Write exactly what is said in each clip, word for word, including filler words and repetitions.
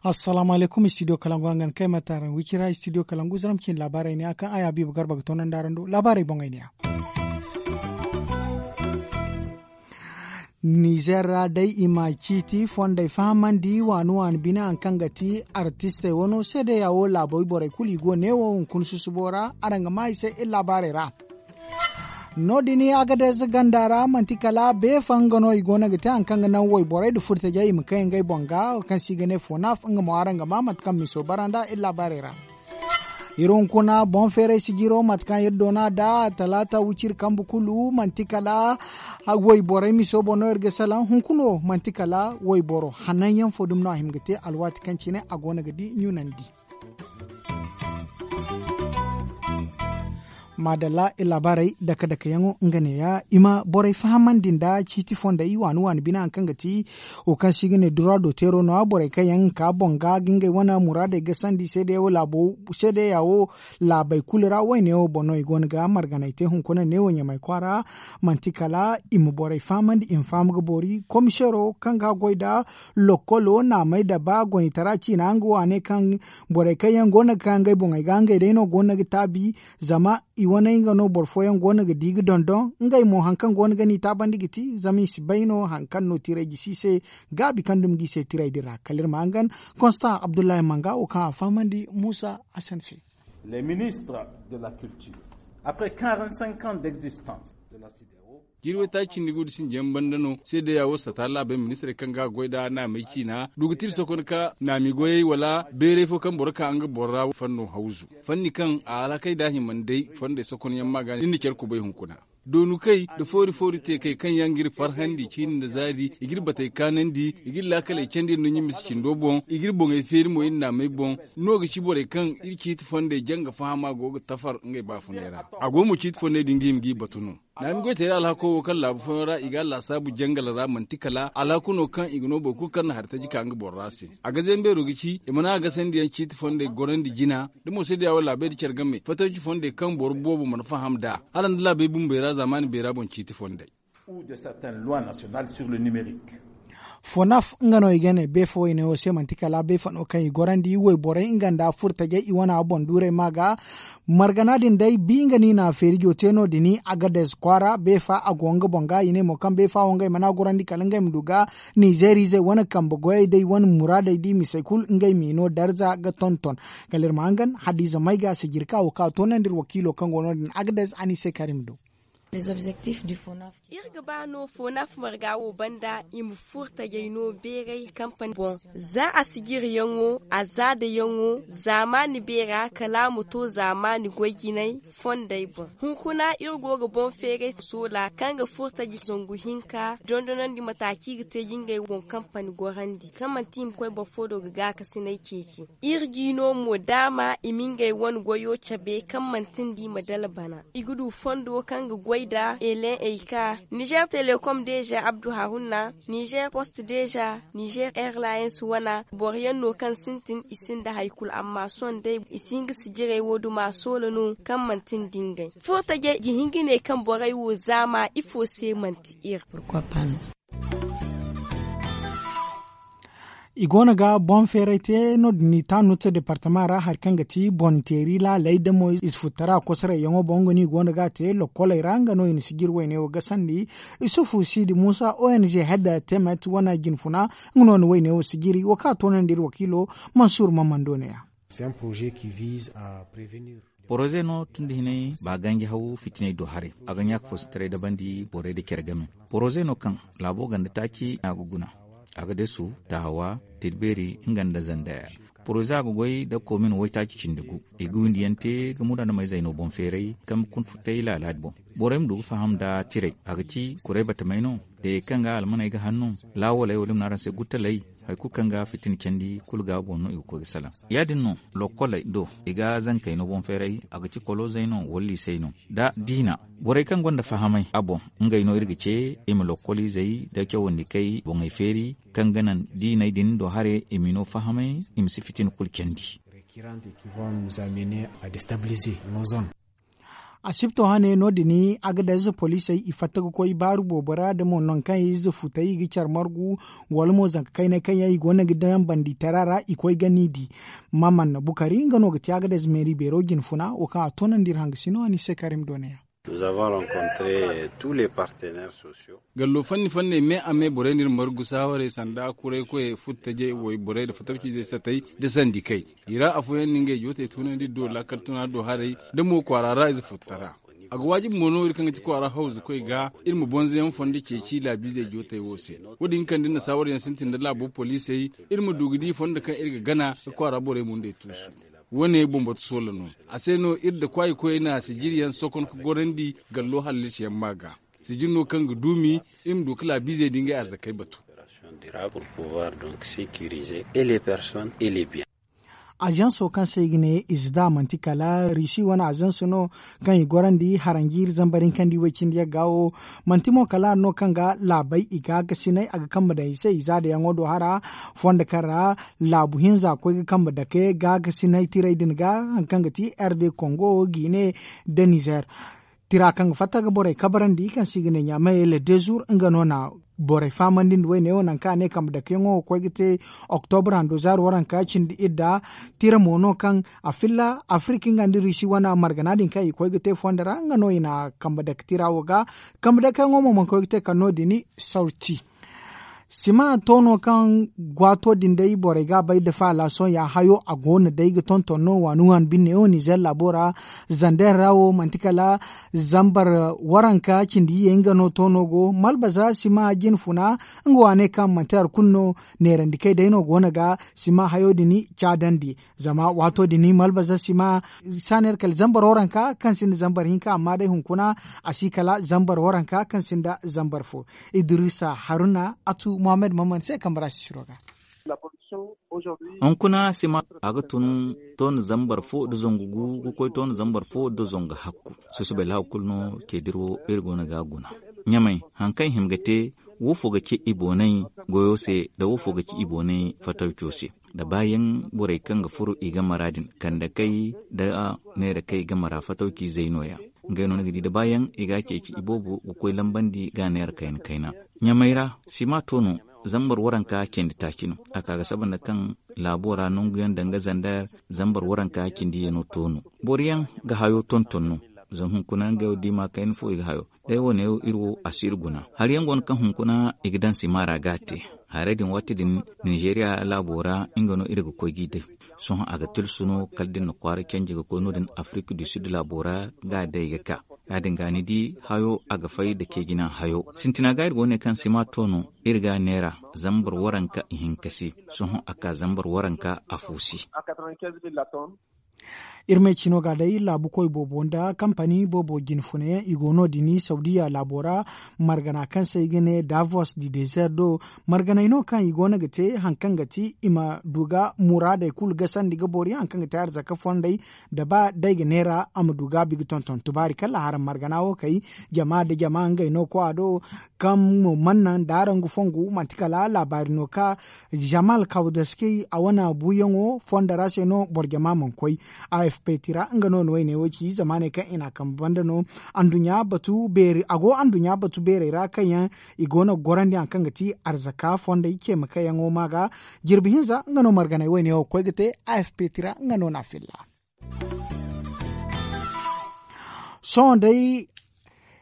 Assalaamu alaykum, studio kalangu hangan kay ma taaran wicira studio kalangu zaram cin laabaarey ne a kaŋ ay habiibu garba ga toonandi araŋ do laabaarey boŋey ne a. Nizer ra day i ma ciiti fondey fahamandi waani waani bine hari kaŋ ga ti artistey wano seedeya wo laabo borey kulu i go neewo hunkuna susubo ra. Araŋ ga maa i se iri laabaarey ra. No- din agadez ganda ra manti kala beefa nga no i go no ga te hari kaŋ ga naŋ wayborey nda furtajey i ma kay ngey boŋ ga kaŋ se i ga ne fonaf nga mo araŋ ga maa mate kaŋ miso bara nd'a iri laabaarey ra. Iri hunkuna boŋ feeray sijiro mate kaŋ iri doona nd'a talaata wiciri kambe kulu manti kala wayborey miso boŋ no iri ga salaŋ hunkuno manti kala wayboro hananyaŋ fo dumi no a hima ga te alwaati kaŋ cine a go no ga di ɲunandi. Maadalla iri laabaarey dake dakeyaŋo nga neeya i ma borey fahamandi nda ciiti fondey waani waani bine hari kaŋ ga ti wo kaŋ se i ga ne dura do teero no- ya borey kaŋ yaŋ ga ka boŋ ga ga ngey wane muraadey gasandi seedeya wo laabey kulu ra wayne wo boŋ no i go no ga marganey te hunkuna neewo ɲamay kwaara. Manti kala i ma borey fahamandi i ma faham ga boori komiseero kaŋ ga goy nda lokkolo naamey nda ba gonitara ciina nga wo a ne kaŋ borey kaŋ yaŋ go no ga ka ngey boŋey ga ngey day no go no ga taabi. Zama i wane nga no boro fooyaŋ go no ga di ga dondon ngey mo hari kaŋ go no ga n'i taabandi ga ti zama i si bay no hari kaŋ no tiray gisi i se gaabi kaŋ dumi ga i se tiray din ra kala iri ma hangan. Konstan abdullahi manga wo kaŋ a fahamandi muusa hasan se. Les ministres de la culture après quarante cinq ans d'existence de la sidero. Jiiri waytaaci cindi gu da sinjiyaŋ banda no seedeya wo sata laabey ministirey kaŋ ga goy nd'a naamey ciina du ga tira sokon ka naami goyey wala beeray fo kaŋ boro ka nga boro ra fanno hawzu. Fanni kaŋ a alhakey da hima nda ay fondey sokonyaŋ ma ga ni nda care kubay hunkuna doonu kay nda foori foori teekey kaŋ yaŋ ga iri farhandi ciini nda zaari i ga iri batey kaanandi i ga iri laakaley candi nda ɲumisi cindo boŋ i ga iri boŋey feeri mo iri naamey boŋ. No ga ci borey kaŋ iri ciiti fondey janga fahama go ga tafar ngey baafunay ra. A go mo ciiti fondey din ga hima g'i batu no. Naami goy teera alhako wo kaŋ laabu fooyaŋ ra i ga a laasaabu jangal ra manti kala alhako no kaŋ i ga no boro kulu kaŋ na hari taji ka nga boro ra se. A ga zeenbeero ga ci i mana a gasandiyaŋ ciiti fondey gorandi jina da mo se diya wo laabey nda care game fatanci fondey kaŋ boro boobo mana faham nd'a hala nda laabey bumbey ra zaamaani beera boŋ ciiti fondey. Fonaf nga no i ga ne beefa wayne wo se manti kala beefa no kaŋ i gorandi wayborey nga nda furtajey i wana boŋ duurey ma ga. Margana din day bi nga no i na feerijo te no- din agades kwaara beefa a go nga boŋ ga i ne mo kaŋ beefa wo ngey mana gorandi kala ngey ma du ga. Nizeer izey wane kambe goyey day wane muraadey da i misey kulu ngey m'i no darza ga tonton. Kala iri ma hangan hadiize may ga sijiri ka wo ka toonandi iri wakiilo kaŋ go no- din agades a n'i se kaari ma du. Iri ga ba no fonaf marga wo banda i ma furo tajey no beeray kampani boŋ. Za a sijiriyaŋo a zaadayaŋo zaamaani beera kala a ma to zaamaani goy jinay fondey boŋ. Hunkuna iri go ga boŋ feeray soola kaŋ ga furo taji zangu hinka dondonandi mataaci ga te jingey boŋ kampani gorandi kaŋ manti i ma koy boro fo do ga gaakasinay ceeci. Iri jiino mo daama i ma ngey wane goyo cabe kaŋ manti nda i ma dala bana. I ga du fondo kaŋ ga goy nda elen eyka nizer telekom deeza abdu haruna, nizer post deeza, nizer airlines wana boro yaŋ no kaŋ sintin i sinda hari kulu amma sohõ day i si hin ga sijirey wo duma soola no kaŋ manti nda ngey furo tajey ga hin ga ne kaŋ borey wo zaama ifo se manti iri. I go no ga boŋ feeray te no- din i taanu te departama ra hari kaŋ ga ti boŋ teeri laaley da mo i si futtara kosorayyaŋo boŋ nga no i go no ga a te lokkoley ra nga no i na sijiri wayne wo gasandi. Isufu siidi muusa ong hedda temet wane jinfuna nga no na wayne wo sijiri wo kaŋ a toonandi iri wakiilo mansuur mamando ne- ya. Poroze no tun da hinay ba ganji haw fitinay do haray a ga ɲaaka foosintaray dabandi borey nda care game. Poroze no kaŋ laabo ganda taaci a ga guna, a ga desu, taawa, tilbeeri nga nda zandaya. Poroze a ga goy nda koomin waytaaci cindi gu. I ga windiyaŋ te ga muraadamey zayno boŋ feeray kaŋ ga kun futtay laalaadi boŋ. Borey ma du ga faham nda tiray a ga ci kuray batamey no? Dayey kaŋ ga almaney ga hanno, laawaley wala i ma ne araŋ se guttaley. Hari kulu kaŋ ga fitina candi kulu ga boŋ no i ga koy ga salaŋ. Ya- din no lokkoley do i ga zankey no boŋ feeray a ga ci koloozey no wala liisey no. Da diina borey kaŋ gonda fahamay a boŋ, ngey no iri ga ce i ma lokkoliizey da cawandikey boŋey feeri kaŋ ga naŋ diiney din do haray i m'i no fahamay, i ma si fitina kulu candi. Qui rentre et qui vont nous amener à déstabiliser nos zones. Asibto hane no- din, agadez poliisey i fatta ga koy baaru boobo ra da mo nangu kaŋ i ze futey i ga care margu, wala mo zanka kaynay kaŋ yaŋ i go no ga daŋ bandi tara ra i koy ga ni di. Maman bukari nga no ga te agadez meeri beero jine funa wo kaŋ a toonandi iri hangasino a ni se karim dooneyaŋ. Nous avons rencontré tous les partenaires sociaux. Gallo fanni fanney me a me borey no iri margu saawarey sanda kuray koyey furtajey wayborey nda fatawciizey satey nda sandikey. I ra afooyaŋ na ngey jootey tunandi iri do laakal tuna do haray nda mo kwaara ra ize furta ra. A ga waajibi mo no iri kaŋ ga ti kwaara hawzukoy ga iri ma bonzoyaŋ fondo ceeci laabiizey jootey wo se. Wo- din kande nda saawaryaŋ sintin nda laabo poliisey iri ma du ga di fondo kaŋ iri ga gana ga kwaara borey mundey tuusu. Wo- ne bambatu soola no. A se no iri nda kwaayikoyey na sijiriyaŋ sokon ga gorandi gallo hallasiyaŋ ma ga. Sijir no kaŋ ga duumi iri ma du ga laabiizey da ngey arzakey batu. Azanso kaŋ se i ga ne izda manti kala risi wane azanso no kaŋ i gorandi haranjiiri zambar hinkandi way cindi yagga wo. Manti mo kala hari no kaŋ ga laabay i ga gasinay a ga kambe daŋ i se i zaadayaŋo do hara fondo kaŋ ra laabu hinza koy ga kambe dake ga gasinay tiray din ga hari kaŋ ga ti rd kongo gine nda nizer. Tira kaŋ ga fatta ga borey kabarandi kaŋ se i ga ne ɲaamey le deux jours nga no na borey fahamandi nda wayne wo nangu kaŋ a ne kambe dakeyaŋo ga koy ga te. Oktobra hando zaari waranka cindi idda. Tira mo no kaŋ a filla afirika nga nda risi wane margana din kaŋ i koy ga te fondo ra nga no i na kambe dake tira wo ga. Kambe dakeyaŋo mo mana koy ga te kala no- din sorti. Sima toono kaŋ gwaato din day borey ga a bay nda faala sohõ ya hayo a go no day ga tonton no waani waani binne wo nizer laabo ra. Zander ra wo manti kala zambar waranka cindi iyye nga no toono go malbaza sima jine funa. Nga waaney kaŋ manti hari kulu no neerandi kay day no go no ga sima hayo din caadandi. Zama waato din malbaza sima saaneer kala zambar waranka kaŋ sinda zambar hinka amma day hunkuna a si kala zambar waranka kaŋ sinda zambar fo. Idrisa haruna atu mohammed maman se kambe ra sisiro ga. Hunkuna sima a ga tun toona zambar fo nda zangu gu ga koy toona zambar fo nda zangu hakku. Susubay laabu kulu no ceediri wo iri go no ga a guna. Ɲamay hari kaŋ i hima ga te, woofo ga ci i boonay goyo se nda woofo ga ci i boonay fatawco se. Da baayaŋ borey kaŋ ga furo i game ra din kandakey nda neerakey game ra fatawciizey no- ya. Ngey no ni ga di da baayaŋ i ga a ceeci i boobo ga koy lambandi ga a neera kayna kayna. Ɲamay ra sima to no. Zambar waranka candi taaci no a ka ga saba nda kaŋ laabo ra nangu yaŋ danga zandar zambar waranka cindi yaŋ no to no. Boro yaŋ ga hayo tonton no. Zama hunkuna ngey wo diima kayna fo i ga hayo. Day wo- ne iri wo a si iri guna hari yaŋ go no kaŋ hunkuna i ga daŋ sima ra ga a te. Haray din waati din nizeeriya laabo ra nga no iri ga koy g'i day. Sohõ a ga tilsu no kala da iri na kwaara canje ga koy no- din afirik du sid laabo ra ga a day ga ka. Ya- din ga ni di hayo a ga fay nda ceejina hayo sintina ga iri go ne kaŋ sima to no. Iri ga a neera zambar waranka ihinka se. Sohõ a ka zambar waranka afo se. Iri ma ay cino ga day laabu koy boobo nda kampani boobo jine funayaŋ i go no- din saudiya laabo ra. Margana kaŋ se i ga ne davos di dezer do. Marganey no kaŋ i go no ga te hari kaŋ ga ti i ma du ga muraadey kulu gasandi ga boori hari kaŋ ga te arzaka fondey. Da ba day ga neera a ma du ga a bi ga tonton tubaari kala haram margana wo kay. Jama nda jama ngey no koy a do. Kaŋ mo mana naŋ da araŋ ga fongu manti kala laabaari no ka jamal kawdaski a wane buuyaŋo fondo ra se no boro jama mana koy. Afp tira nga no na wayne wo ci zamaaney kaŋ i n'a kambe banda no. Anduɲɲa batu beeri a go anduɲɲa batu beerey ra kaŋ yaŋ i go no ga gorandi hari kaŋ ga ti arzaka fondey ceema kaŋ yaŋo ma ga. Jirbi hinza nga no marganey wayne wo ga koy ga te. Afp tira nga no na a filla. Sohõ day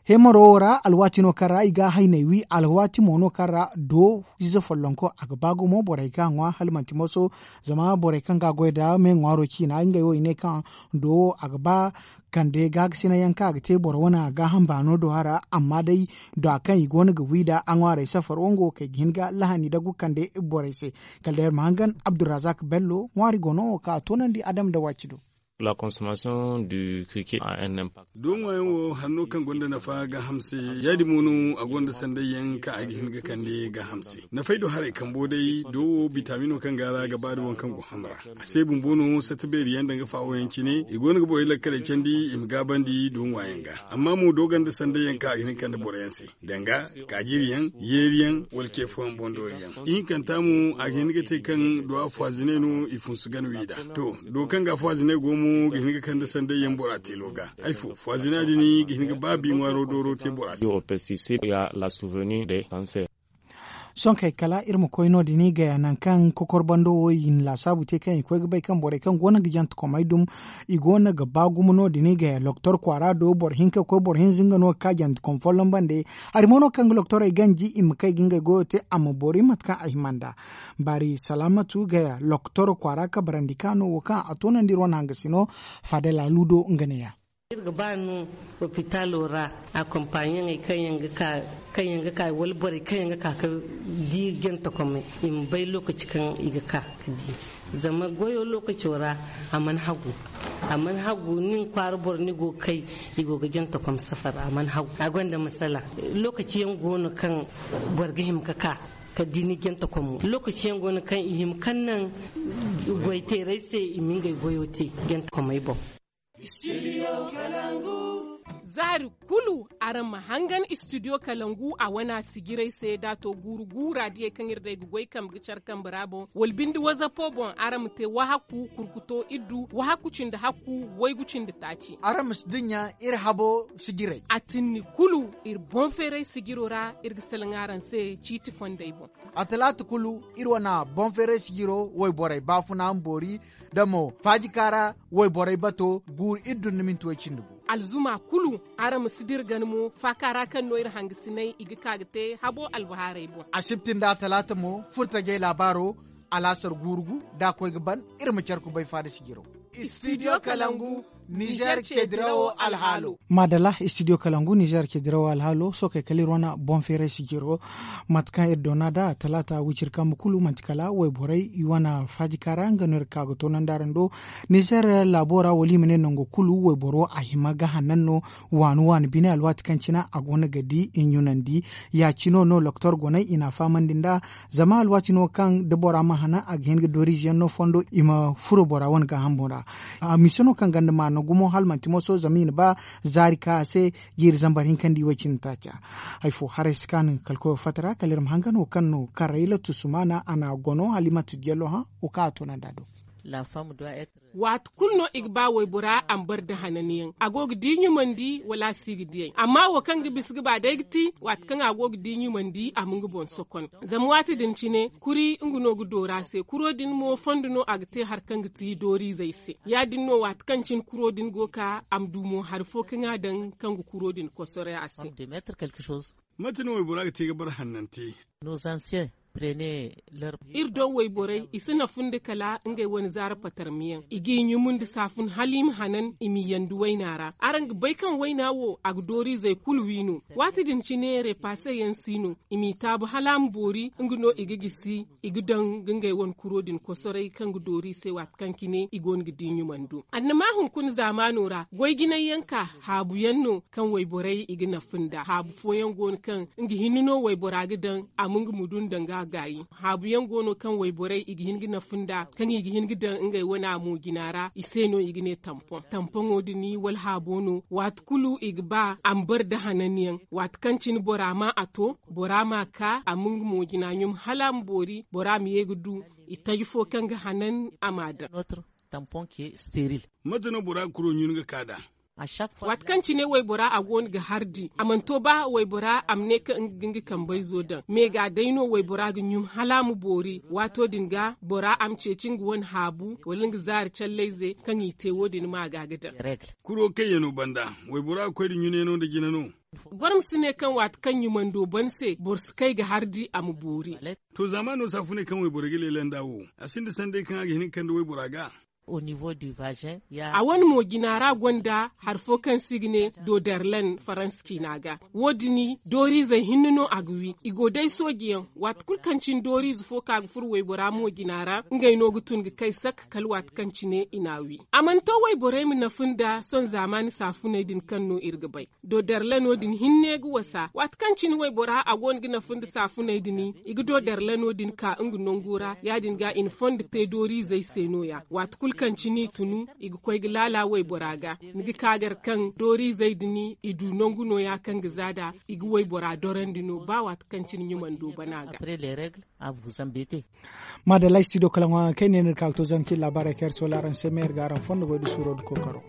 hemaro wo ra alwaati no kaŋ ra i ga hayney wi alwaati mo no kaŋ ra do ize follonko a ga ba gumo borey ga a ŋwa hala manti moso. Zama borey kaŋ ga a goy nda me ŋwaaro ciina ngey wo i ne kaŋ do wo a ga ba kande gaagasinay yaŋ kaŋ a ga te boro wane a gaaham baano do a ra. Amma day da kaŋ i go no ga wi nda a ŋwaarey safaro nga wo kay ga hin ga lahani dagu kande borey se. Kala day iri ma hangan abdulrazak bello ŋwaari go no wo kaŋ a toonandi adama nda waaci do. La consommation du criquet a un impact. Doŋ waayaŋ wo hari no kaŋ gonda nafa gaaham se. Ya- din mo no a gonda sanday yaŋ kaŋ a ga hin ga kande gaaham se. Nafay do haray kambo day do wo bitamino kaŋ ga ra ga ba da waŋ kaŋ go ham ra. A se bumbo no satta beeri yaŋ danga faawo yaŋ cine i go no ga borey lakkaley candi i ma gaabandi doŋ waayaŋ ga. Amma mo do gonda sanday yaŋ kaŋ a ga hin ga kande boro yaŋ se, danga kaajiri yaŋ, yeeri yaŋ, wala ce fooyaŋ boŋ doori yaŋ. Ihinkanta mo a ga hin ga te kaŋ do a faazinay no i funsu gana wiida. To, do kaŋ ga a faazinay go mo ga hin ga kande sanday yaŋ bora teelo ga. Ay fo faazina din ga hin ga ba bi ŋwaaro dooro te bora se. Sonkey kala iri ma koy no- din i gaya nangu kaŋ kokor bando wo i na laasaabu te kaŋ i koy ga bay kaŋ borey kaŋ go no ga jantekomey dum, i go no ga ba gumo no- din i gaya loktor kwaara do boro hinka ga koy boro hinza nga no ga ka jantekom folloŋ bande. Hari mo no kaŋ ga loktorey ganji i ma kay ga ngey goyo te a ma boori mate kaŋ a hima nd'a. Baari salaamatu gaya loktor kwaara kabarandi ka no wo kaŋ a toonandi iri wane hangasino. Fadala ludo nga ne ya. Iri ga ba no lopitaalo ra akompaɲeŋey kaŋ yaŋ ga ka wala borey kaŋ yaŋ ga ka ga di jantekomey i ma bay lookaci kaŋ i ga ka ga di. Zama goyo lookaco ra a mana hagu. A mana hagu nin kwaara boro ni go ga kay i go ga jantekom safar a mana hagu a gonda masala. Lookaci yaŋ go no kaŋ boro ga hima ga ka ga di ni jantekomo lookaci yaŋ go no kaŋ i hima kaŋ naŋ goyteerey se i ma ngey goyo te jantekomey boŋ. Zaari kulu araŋ ma hangan istidiyo kalangu a wana sijirey se da a to guuru guura diyey kaŋ iri day ga goy kambe ga care kambe ra boŋ wala binde wazapo boŋ araŋ ma te wahakku kurkuto iddu wahakku cindi hakku waygu cindi taaci. Araŋ ma si dinya iri habo sijirey a tinni kulu iri boŋ feeray sijiro ra iri ga salaŋ araŋ se ciiti fondey boŋ. A talaata kulu iri wana boŋ feeray sijiro wayborey baafuna ma boori da mo faajika ra wayborey bato guuru iri dun ni minti way cindi gu. Alzuma kulu araŋ ma si dira gana mo faaka ra kaŋ no iri hangasinay i ga ka ga te habo albahaarey boŋ. Asibti nda talaata mo furtajey laabaaro alaasar guuru gu da a koy ga ban iri ma care kubay faada sijiro. Istidiyo kalangu nizer cedirawo alhaalo. Maadala istidiyo kalangu nizer cedirawo alhaalo sookey kala iri wane boŋ feeray sijiro. Mate kaŋ iri doona nd'a talaata wiciri kambe kulu manti kala wayborey i wane faajika ra nga no iri ga ka ga toonandi araŋ do. Nizer laabo ra wala i ma ne nango kulu wayboro a hima ga hanan no waani waani bine alwaati kaŋ cine a go no ga di i ɲunandi. Ya- cino no loktor goney i n'a fahamandi nd'a zama alwaati no kaŋ da bora ma hanan a ga hin ga dooriize yaŋ no fondo i ma furo bora wane gaaham boŋ ra. Mise no kaŋ ganda maana gumo hala manti moso zama i na ba zaari ka a se jiiri zambar hinka nda i way cindi taaca. Hari fo haray si kaanu ga kala koyo fatta ra kala iri ma hangan wo kaŋ no karrayla tusumaana a n'a gono hala i manti jello hã wo kaŋ a toonandi a do. Waati kulu no i ga ba waybora a ma bare nda hananyaŋ a go ga di ɲumandi wala a si ga diyay amma wo kaŋ ga bisa ga ba day ga ti waati kaŋ a go ga di ɲumandi a ma nga boŋ sokon. Zama waati din cine kuri nga no ga doora se kuro din mo fondo no a ga te hari kaŋ ga ti dooriizey se ya- din no waati kaŋ cine kuro din go ga ka a ma du mo hari fo kaŋ a daŋ kaŋ ga kuro din kosoray a se. Mate no waybora ga te ga bare hannante? Iri doŋ wayborey i si nafu nda kala ngey wane zaara patarmiyaŋ i g'i ɲumu nda saafun hala i ma hanan i m'i yandi wayna ra araŋ ga bay kaŋ wayna wo a ga dooriizey kulu wi no. Waati din cine repaase yaŋ si no i m'i taabu hala a ma boori nga no i ga gisi i ga daŋ ga ngey wane kuro din kosoray kaŋ ga doori i se waati kaŋ cine i go no ga di ɲumando annama hunkuna zaamaano ra goy jinay yaŋ ka haabu yaŋ no kaŋ wayborey i ga nafa nda haabu fooyaŋ go no kaŋ nga hinne no waybora ga daŋ a ma nga mudu nda nga gaayi. Haabu yaŋ go no kaŋ wayborey i ga hin ga nafa nda kaŋ i ga hin ga daŋ ngey wane a mo jina ra i se no i ga ne tampoŋ tampoŋo din wala haabo no waati kulu i ga ba a ma bare nda hananyaŋ waati kaŋ cine bora ma a to bora ma a ka a ma nga mo jina ɲum hala a ma boori bora ma ye ga du i taji fo kaŋ ga hanan a ma a daŋ. Mate no bora ga kuro ɲun ga ka nd'a? Waati kaŋ cine waybora a go no ga hardi a mana to ba waybora a ma ne kaŋ nga ga nga kambayzo daŋ me ga day no waybora ga ɲum hala a ma boori waato din ga bora a ma ceeci nga wane haabu wala nga zaari callayze kaŋ i te wo- din ma ga ga daŋ. Kuro kayyaŋo banda waybora ga koy nda ɲunayano nda jina no? Boro ma si ne kaŋ waati kaŋ ɲumando ban se boro si kay ga hardi a ma boori. To zaamaano saafuney kaŋ wayborey ga leela nd'a wo a sinda sanday kaŋ a ga hin ga kande waybora ga? A wane mo jina ra gonda hari fo kaŋ se i ga ne dodarlan faransa ciina ga. Wo- din dooriizey hinne no a ga wi i go day sooji yaŋ waati kulu kaŋ cine dooriize fo kaŋ a ga furo waybora mo jina ra ngey no ga tun ga kay sak kala waati kaŋ cine i n'a wi. A mana to wayborey ma nafa nda sohõ zaamaani saafuney din kaŋ no iri ga bay. Dodarlano din hinne ga wasa waati kaŋ cine waybora a go no ga nafa nda saafuney din i ga dodarlano din ka nga nango ra ya- din ga i na fondo te dooriizey se no- ya waati kulu kaŋ cine i tunu i ga koy ga laala waybora ga. Ni ga ka gar kaŋ dooriizey din i du nangu no- ya kaŋ ga za nd'a i ga waybora dorandi no ba waati kaŋ cine ɲumando bana ga. Maadalla ay si ti do kala ŋwa kay ne ni ga ka ga to zama kaŋ iri laabaarey kaŋ iri soola araŋ se ma iri ga araŋ fondo goy da suuro nda kookaro.